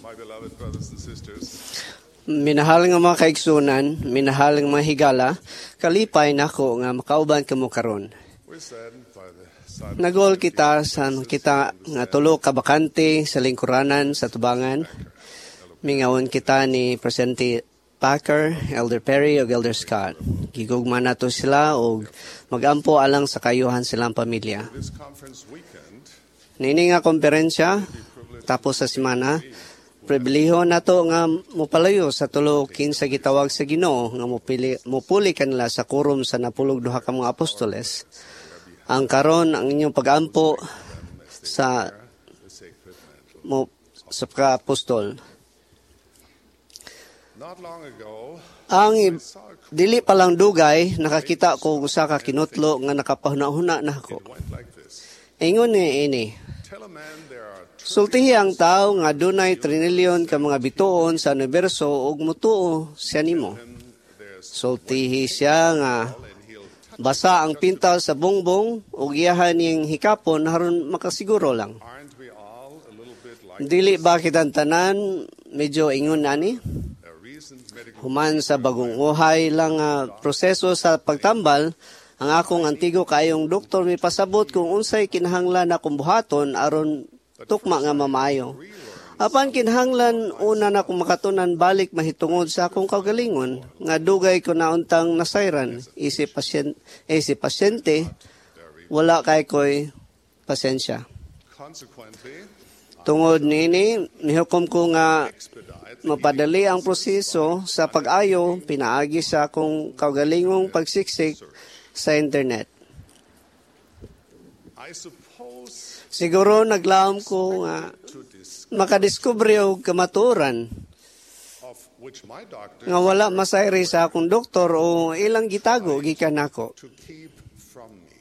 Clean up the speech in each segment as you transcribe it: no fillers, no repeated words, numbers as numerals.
My beloved brothers and sisters, Minahal nga mga kaigsunan, minahal nga mga higala, kalipay nako nga makauban kamo karon. We're saddened by the sudden Nagol kita sa kita nga tulo ka bakante sa lingkuranan sa tubangan. Mingawon kita ni Presidente Packer, Elder Perry ug Elder Scott. Gigugma nato sila og magampo alang sa kayuhan silang pamilya. This conference weekend. Niini nga komperensya tapos sa semana, pribileho nato nga mopalayo sa tulo kinsa gitawag sa Ginoo nga mopili mopuli kanila sa kurum sa 12 ka mga apostoles. Ang karon ang inyong pagampo sa The sacred mantle. Mo sa ka-apostol. Not long ago, Ang dili pa lang dugay, nakakita ko og usa ka kinutlo nga nakapahuna-huna nako. It went like this. Ingon ni ini: Tell a man there are "Sultihi ang tao nga dunay trinilyon ka mga bituon sa universo ug mutuo siya nimo. Him there's Sultihi siya nga and he'll touch. basa ang pintal sa bongbong ug iyahan ning hikapon aron makasiguro lang." Aren't we all a little bit like Dili ba kitang tanan medyo ingon ani? a recent medical Human sa bagong uhay lang nga proseso sa pagtambal, ang akong antigo kaayong doktor mi pasabot kung unsay kinahanglan akong buhaton aron tukma nga mamaayo. Apan kinahanglan una na akong makatunan balik mahitungod sa akong kaugalingon nga dugay ko na untang nasayran isip pasyente wala kay ko'y pasensya. Consequently, Tungod niini, nihukom ko nga expedite mapadali ang proseso sa pag-ayo pinaagi sa akong kaugalingong pagsiksik sa internet. I suppose Siguro naglaom ko nga to dis makadiskubre og kamatuoran of which my doctor nga wala masayri sa akong doktor o ilang gitago gikan nako. To keep from me.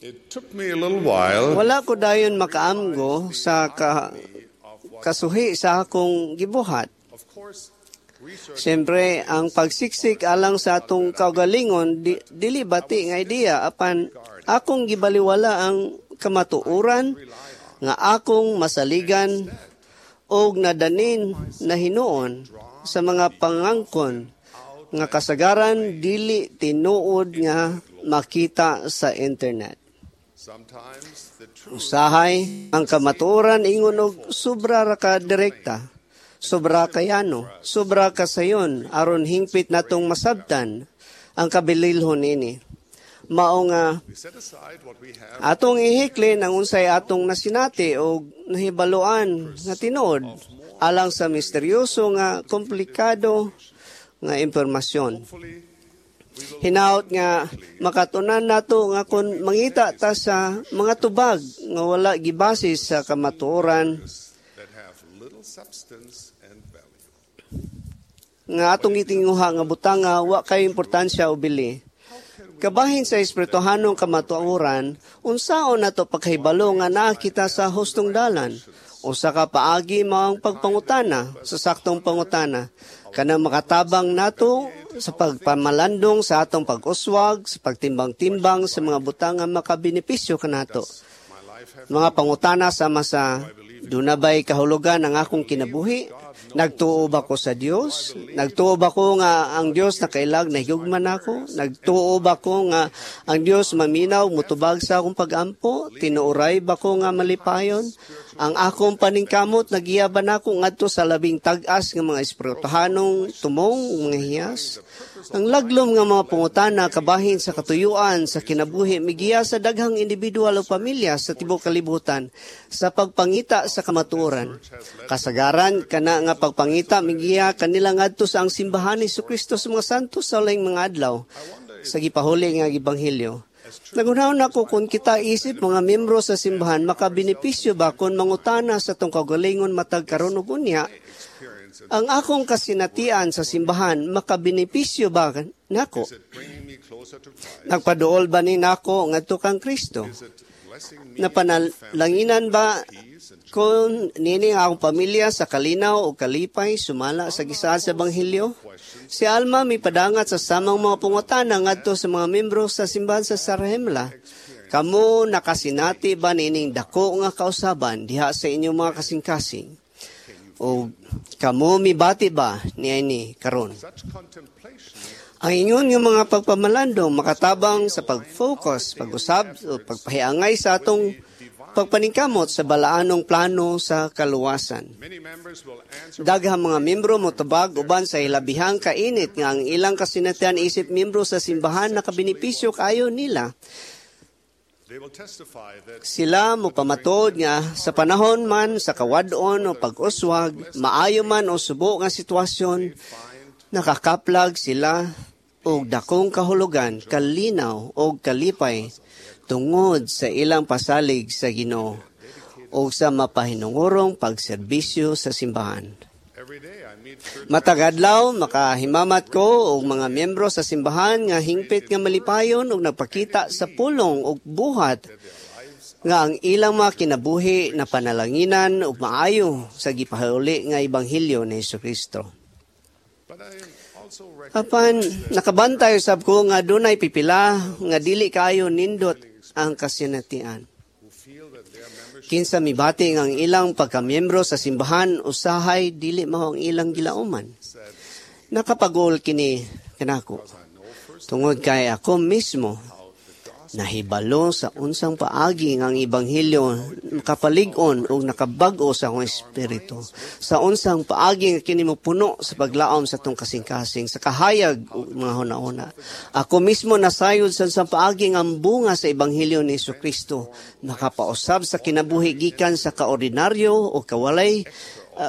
It took me a little while Wala ko dayon makaamgo sa of what, kasuhi sa akong gibuhat. Of course, research Siyempre, ang pagsiksik alang sa atong kaugalingon, dili bati nga idea, apan akong gibaliwala ang kamatuoran nga akong masaligan og nadanin na hinuon sa mga pangangkon nga kasagaran dili tinuod nga makita sa internet. Sometimes the truth Usahay, ang kamatuoran ingon og sobra ra ka direkta, sobra kayano, sobra ka sayon, aron hingpit natong masabtan ang kabililhon ini. Mao nga we set aside what we have atong ihiklin ang unsay atong nasinati o nahibaluan nga tinuod alang sa misteryoso nga komplikado nga impormasyon. Hopefully Hinaut nga makatunan nato nga kung mangita ta sa mga tubag nga wala gibase sa kamatuoran that have little substance and value. Nga atong gitinguha nga butanga wa kay importansya o bili. Kabahin sa espirituhanong kamatuoran, unsaon nato pagkahibalo nga naa kita sa hustong dalan? Usa ka paagi mao ang pagpangutana sa saktong pangutana kanang makatabang nato sa pagpamalandong sa atong pag-uswag, sa pagtimbang-timbang sa mga butang nga makabenepisyo kanato. My life have Mga pangutana sama sa, "Duna ba'y kahulugan ang akong kinabuhi? Nagtuo ba ko sa Dios? Nagtuo ba ko nga ang Dios nakailag nahigugma nako? Nagtuo ba ko nga ang Dios maminaw, mutubag sa akong pagampo? Tinuoray ba ko nga malipayon? Ang akong paningkamot nagiya ba nako ngadto sa labing tag-as nga mga espirituhanong tumong, mga hiyas?" Ang laglom nga mga pangutana kabahin sa katuyuan sa kinabuhi migiya sa daghang individual o pamilya sa tibuok kalibutan sa pagpangita sa kamatuoran. Kasagaran kana nga pagpangita migiya kanila ngadto sa ang Simbahan ni Kristo sa mga Santos sa Ulaing mga Adlaw sa Gipahuli nga Ebanghelyo. Naghunahuna ko kung kita isip mga miyembro sa simbahan makabenepisyo ba kung mangutana sa atong kaugalingon matag karon ug unya, experience "Ang akong kasinatian sa simbahan makabenepisyo ba nako? Is it bringing me closer to Christ? Nagpaduol ba ni nako ngadto kang Kristo? Is it blessing me Napanalanginan ba peace and kung nini ang akong pamilya sa kalinaw o kalipay sumala sa gisaad sa Ebanghelyo?" Si Alma mipadangat sa samang mga pangutana ngadto sa mga membro sa simbahan sa Sarahemla. Kamo nakasinati ba niining dako nga kausaban diha sa inyong mga kasing-kasing? O kamo mibati ba niini karon? Such contemplation Ang ingon nga mga pagpamalandong makatabang sa pag-focus, pag-usab o pagpahiangay sa atong pagpaningkamot sa balaanong plano sa kaluwasan. Many members will answer Daghang mga miyembro motubag uban sa hilabihang kainit nga ang ilang kasinatian isip miyembro sa simbahan nakabenepisyo kaayo nila. They will testify that Sila mopamatod nga sa panahon man sa kawad-on o pag-uswag, maayo man o subo nga sitwasyon, find nakakaplag sila og dakong kahulugan, kalinaw og kalipay tungod sa ilang pasalig sa Ginoo o sa mapahinungurong pagserbisyo sa simbahan. Every day I meet church Matag adlaw makahimamat ko og mga miyembro sa simbahan nga hingpit nga malipayon og nagpakita sa pulong og buhat their lives nga ang ilang mga kinabuhi na panalanginan ug maayo sa gipahiuli nga ebanghelyo ni Hesukristo. But I also Apan recognize nakabantay usab ko nga dunay pipila nga dili kaayo nindot ang kasinatian. who feel that their membership Kinsa mibati nga ang ilang pagkamiyembro sa simbahan usahay dili mao ang ilang gilauman. said, Nakapag-uol kini kanako. I know first Tungod kay ako mismo how the gospel nahibalo sa unsang paagi nga ang ebanghelyo makapalig-on ug nakabag-o sa akong espiritu. Sa unsang paagi nga kini mopuno sa paglaom sa atong kasing-kasing, sa kahayag ug mga hunahuna. Ako mismo nasayod sa unsang paagi nga ang bunga sa ebanghelyo ni Kristo nakapausab sa kinabuhi gikan sa kaordinaryo o kawalay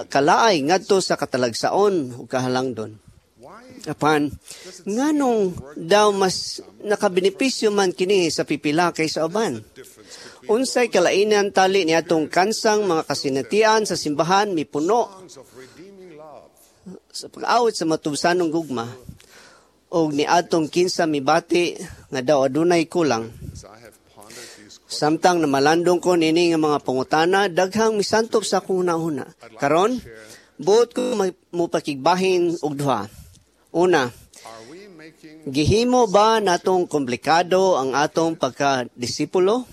kalaay ngadto sa katalagsaon ug kahalangdon. Why Apan, nganong daw mas nakabenepisyo man kini sa pipila kaysa uban? Difference between Unsay kalainan tali ni atong kansang mga kasinatian sa simbahan mipuno songs of redeeming love sa pag-awit sa matubsanong gugma og niadtong kinsa mibati nga daw adunay kulang? As I have pondered these questions, Samtang namalandong ko nini nga mga pangutana, daghang misantop sa akong hunahuna. Karon, buot ko mopakigbahin og duha. Una, are we making gihimo ba natong komplikado ang atong pagkadisipulo?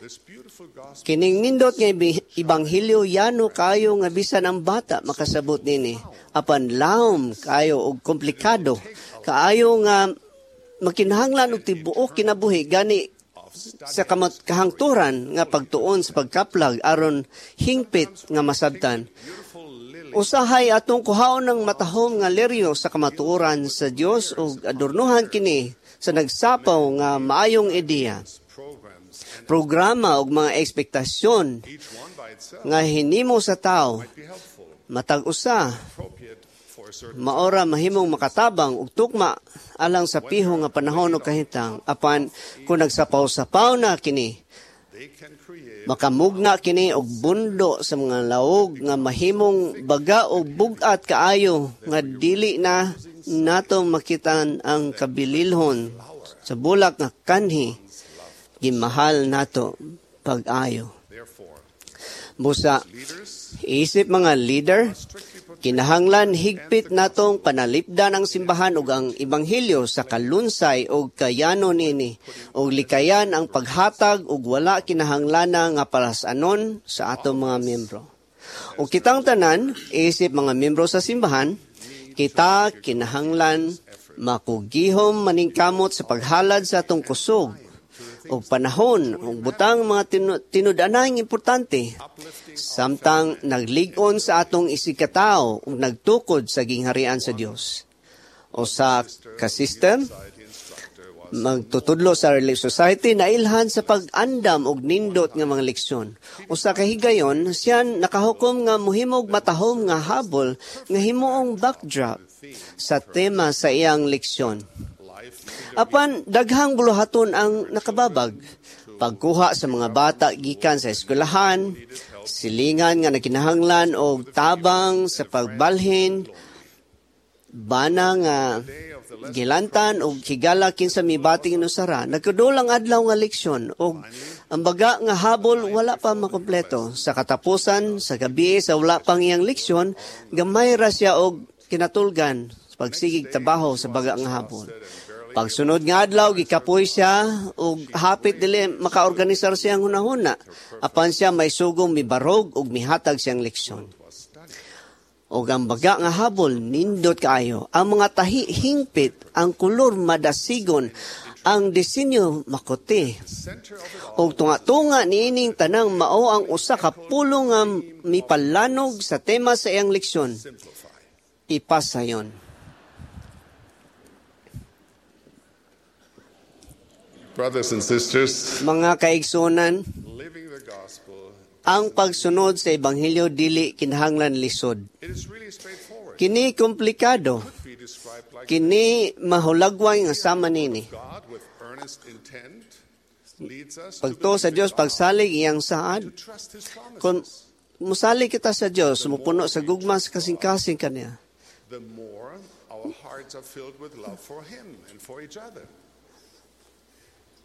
this beautiful gospel Kining nindot nga ebanghelyo yano kayo nga bisan ang bata makasabot nini. Apan lawom kayo og komplikado. Kaayo nga makinahanglan og tibuok kinabuhi gani of study sa kahangturan nga pagtuon sa pagkaplag aron hingpit nga masabtan. beautiful lily Usahay atong kuhaon ng matahom nga leryo sa kamatuoran sa Dios ug adornohan kini sa nagsapaw nga maayong ideya, programs and programa ug mga ekspektasyon each one by itself nga hinimo sa tao might be helpful, matag usa appropriate for a certain maora mahimong makatabang ug tukma alang sa piho nga panahon o kahintang. Apan kung nagsapaw-sapaw na kini, They can create makamugna kini og bundo sa mga laog nga mahimong baga o bug-at kaayo nga dili na nato makitan ang kabililhon sa bulak nga kanhi gimahal nato pag-ayo. Therefore, Busa leaders isip mga leader, strictly protect kinahanglan higpit natong panalipdan ang simbahan ug ang ebanghelyo sa kalunsay ug kayano nini ug likayan ang paghatag ug wala kinahanglana nga palasanon sa atong mga miyembro. Ug kitang tanan isip mga miyembro sa simbahan, kita kinahanglan makugihom maningkamot sa paghalad sa atong kusog ug panahon ug butang mga tinud-anahing importante uplifting samtang naglig-on sa atong isigkatao ug nagtukod sa gingharian sa Dios. O sa ka-sister, society instructor was magtutudlo sa Relief Society nailhan sa pag-andam og nindot nga mga leksyon. Usa ka higayon, siya nakahukom nga mohimog matahom nga habol nga himuong backdrop sa tema sa iyang leksyon. life in Apan daghang buluhaton ang nakababag. Pagkuha sa mga bata gikan sa eskwelahan, silingan nga nakinahanglan og tabang sa pagbalhin, bana nga gilantan og higala kinsa mibating inusara. Nagkadulang adlaw nga leksyon og ang baga nga habol wala pa makumpleto. Sa katapusan sa gabi sa wala pang iyang leksyon, gamay ra siya og kinatulgan sa pagsigig trabaho sa baga nga habol. Pagsunod nga adlaw, gikapoy siya ug hapit dili makaorganisar siyang hunahuna. Apan siya may sugong mibarog ug mihatag siyang leksyon. Was stunning. Og ang baga nga habol nindot kaayo. Ang mga tahi hingpit, ang kolor madasigon, ang disenyo makuti. Center of it all Og tunga-tunga niining tanang mao ang usa ka pulong nga mipalanog sa tema sa iyang leksyon. Simplify. Ipasayon. Brothers and sisters, Mga kaigsunan, living the gospel, ang pagsunod sa ebanghelyo dili kinahanglan lisod. it is really straightforward. Kini komplikado. Could be described like Kini mahulagway nga sama nini. God with earnest intent leads us to Pagtuo sa believe in Dios, God, pagsalig iyang saad. to trust His promises. Kung musalig kita sa Dios, mupuno sa gugma sa kasing-kasing kaniya. The more our hearts are filled with love for Him and for each other.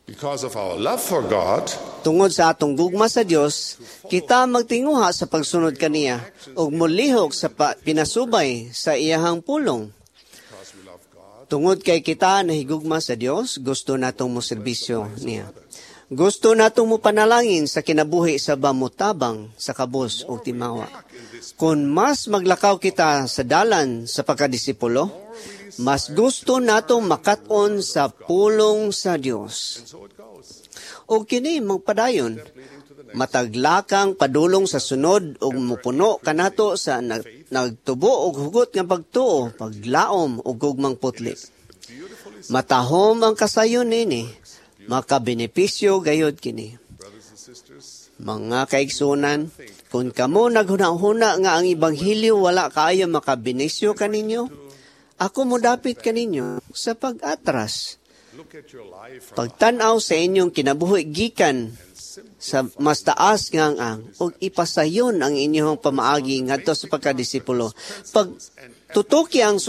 Because of our love for God, Tungod sa atong gugma sa Dios, kita magtinguha sa pagsunod kaniya ug molihok sa pinasubay sa iyahang pulong. because we love God, Tungod kay kita nahigugma sa Dios, gusto natong moserbisyo niya. Gusto natong mopanalangin sa kinabuhi sa bamutabang sa kabus ug timawa. Kung mas maglakaw kita sa dalan sa pagkadisipulo, mas gusto natong makat-on sa pulong sa Dios. and so it goes. O kini magpadayon, Leading to the next. mataglakang padulong sa sunod ug mupuno kanato sa nagtubo og hugot nga pagtuo, paglaom ug gugmang putli. Beautifully, Matahom ang kasayon nini, makabenepisyo gayod kini. brothers and sisters, Mga kaigsunan, kung kamo naghuna-huna nga ang ebanghelyo wala kaayo makabenisyo kaninyo, ako modapit kaninyo sa pag-atras. look at your life from Pagtan-aw sa inyong kinabuhi gikan sa mas taas nga ang ug ipasayon ang inyong pamaagi ngadto sa pagkadisipulo. Pag tutuki ang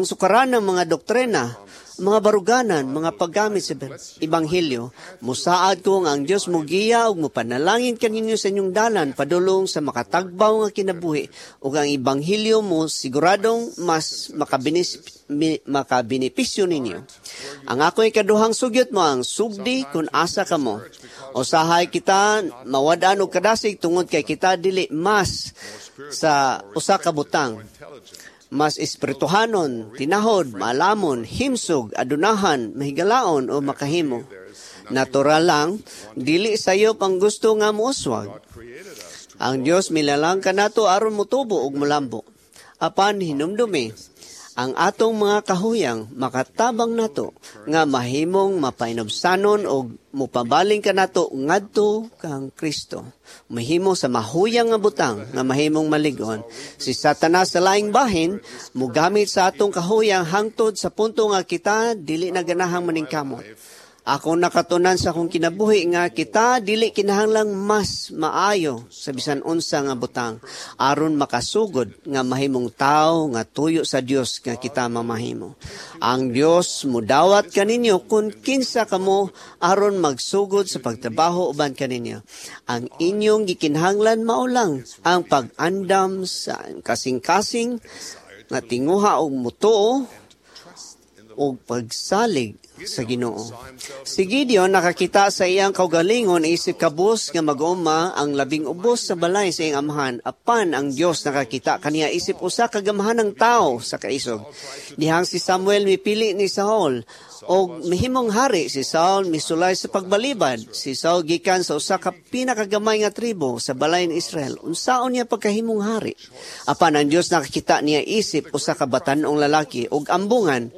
sukaran ng mga doktrina, mga baruganan, mga paggamit sa ebanghelyo, musaad ko nga ang Dios mogiya ug mopanalangin kaninyo sa inyong dalan padulong sa makatagbaw nga kinabuhi ug ang ebanghelyo mo siguradong mas makabenepisyo ninyo. Ang ako'y kaduhang sugyot mo ang sugdi kung asa kamo. Usahay kita mawad-an og kadasig tungod kay kita dili mas sa usa ka butang. intelligent, Mas espirituhanon, tinahod, maalamon, himsog, adunahan, mahigalaon o makahimo. Natural lang, dili sayop ang gusto nga mouswag. God created us to Ang Dios milalang kanato aron motubo ug molambo. Apan hinumdumi, ang atong mga kahuyang makatabang nato nga mahimong mapainubsanon og mopabaling kanato ngadto kang Kristo. Mahimo sa mahuyang nga butang nga mahimong maligon. Si Satanas sa laing bahin mogamit sa atong kahuyang hangtod sa punto nga kita dili na ganahang maningkamot. Ako nakatunan sa akong kinabuhi nga kita dili kinahanglang mas maayo sa bisan unsa nga butang aron makasugod nga mahimong tawo nga tuyo sa Dios nga kita mamahimo. Ang Dios mudawat kaninyo kung kinsa kamo aron magsugod sa pagtrabaho uban kaninyo. Ang inyong gikinahanglan mao lang ang pag-andam sa kasing-kasing nga tinguha og mutuo og pagsalig sa Ginoo. Si Gideon nakakita sa iyang kaugalingon isip kabus nga mag-uma ang labing ubos sa balay sa iyang amahan, apan ang Dios nakakita kaniya isip usa ka gamhanang tawo sa kaisog. Dihang si Samuel mipili ni Saul og mihimong hari, si Saul misulay sa pagbalibad. Si Saul gikan sa usa ka pinakagamay nga tribo sa balay ni Israel. Unsaon niya pagkahimong hari? Apan ang Dios nakakita niya isip usa ka batan-ong lalaki og ambungan.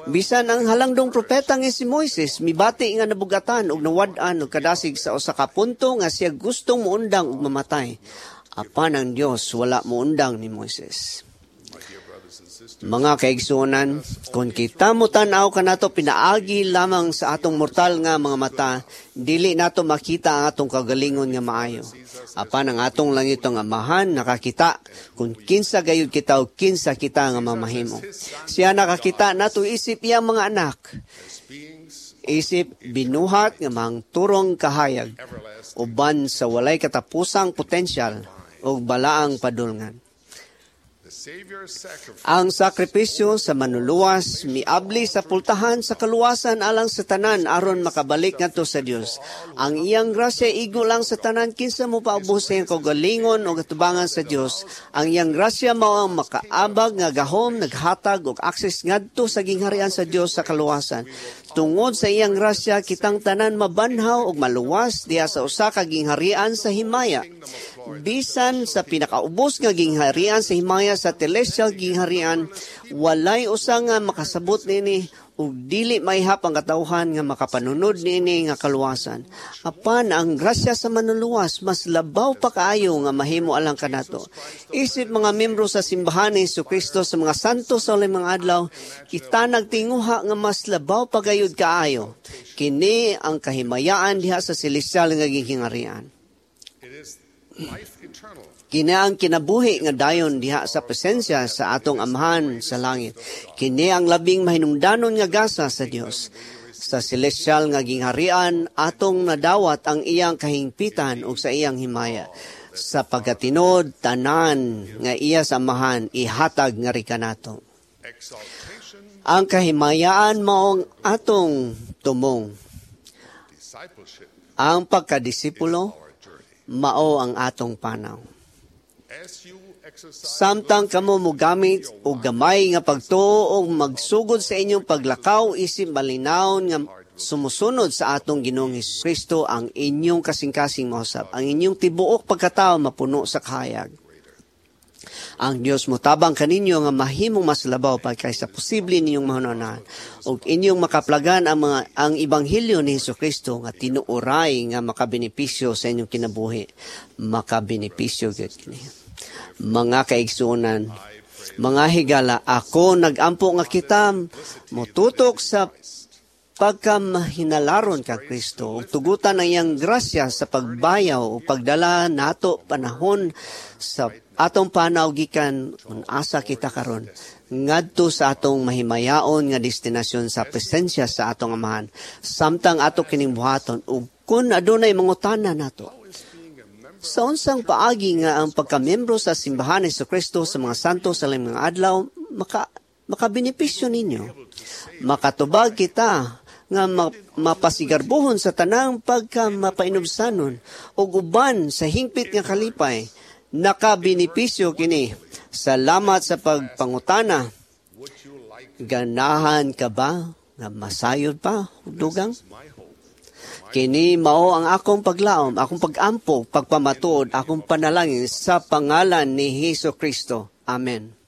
Bisan ang halangdong propeta nga si Moises mibati nga nabugatan og nawad-an og kadasig sa usa ka punto nga siya gustong muundang og mamatay. Apan ang Dios wala muundang ni Moises. Mga kaigsuonan, kung kita mo tan-aw kanato pinaagi lamang sa atong mortal nga mga mata, dili nato makita ang atong kagalingon nga maayo. Apan ang atong langitong Amahan nakakita kung kinsa gayud kita o kinsa kita nga mamahimo. Siya nakakita nato isip iyang mga anak, isip binuhat nga mangturong kahayag, uban sa walay katapusang potensyal ug balaang padulngan. The Savior's sacrifice Ang sakripisyo sa Manluluwas miabli sa pultahan sa kaluwasan alang sa tanan aron makabalik ngadto sa Dios. Ang iyang grasya igo lang sa tanan kinsa mopaubos sa iyang kaugalingon og atubangan sa Dios. Ang iyang grasya mao ang makaabag nga gahom, naghatag og access ngadto sa gingharian sa Dios sa kaluwasan. Tungod sa iyang grasya, kitang tanan mabanhaw og maluwas diha sa usa ka gingharian sa himaya. Bisan sa pinakaubos nga gingharian sa himaya, sa telestial gingharian, walay usa nga makasabot niini ug dili maihap ang katawhan nga makapanunod niini nga kaluwasan. Apan ang grasya sa Manluluwas mas labaw pa kaayo nga mahimo alang kanato. Isip mga membro sa Simbahan ni Kristo sa mga Santo sa Uling mga Adlaw, kita nagtinguha nga mas labaw pa gayud kaayo. Kini ang kahimayaan diha sa celestial nga gingharian. It is life eternal. Kini ang kinabuhi nga dayon diha sa presensya sa atong Amahan sa langit. Kini ang labing mahinungdanon nga gasa sa Dios. Sa celestial nga gingharian, atong nadawat ang iyang kahingpitan ug sa iyang himaya. Sa pagkatinod, tanan nga iya sa Amahan ihatag nga kanato. Exaltation, Ang kahimayaan maong atong tumong. Discipleship, Ang pagkadisipulo our journey. mao ang atong panaw. As you exercise Samtang kamo mogamit og gamay nga pagtuo og magsugod sa inyong paglakaw isip malinawon nga sumusunod sa atong Ginoong Hesus Kristo, ang inyong kasing-kasing mausab, ang inyong tibuok pagkatao mapuno sa kahayag. Ang Dios motabang kaninyo nga mahimong mas labaw pa kaysa posible ninyong mahunahunaan ug inyong makaplagan ang ebanghelyo ni Hesus Kristo nga tinuoray nga makabenepisyo sa inyong kinabuhi. Makabenepisyo gyud kini. Mga kaigsuonan, mga higala, ako nagampo nga kita motutok sa pagkamahinalaron ka Kristo ug tugutan ang iyang grasya sa pagbayaw o pagdala nato panahon sa atong panaw gikan kung asa kita karon ngadto sa atong mahimayaon nga destinasyon sa presensya sa atong Amahan. Samtang ato kining buhaton ug kun adunay mangutana nato sa unsang paagi nga ang pagkamiyembro sa Simbahan ni Kristo sa mga Santo sa Laing mga Adlaw makabenepisyo ninyo, makatubag kita nga mapasigarbohon sa tanang pagka mapainubsanon ug uban sa hingpit nga kalipay. Nakabenepisyo kini. Salamat sa pagpangutana. Would you like Ganahan ka ba nga masayod pa og dugang? My hope? Kini mao ang akong paglaom, akong pagampo, pagpamatuod, akong panalangin sa pangalan ni Hesus Kristo. Amen.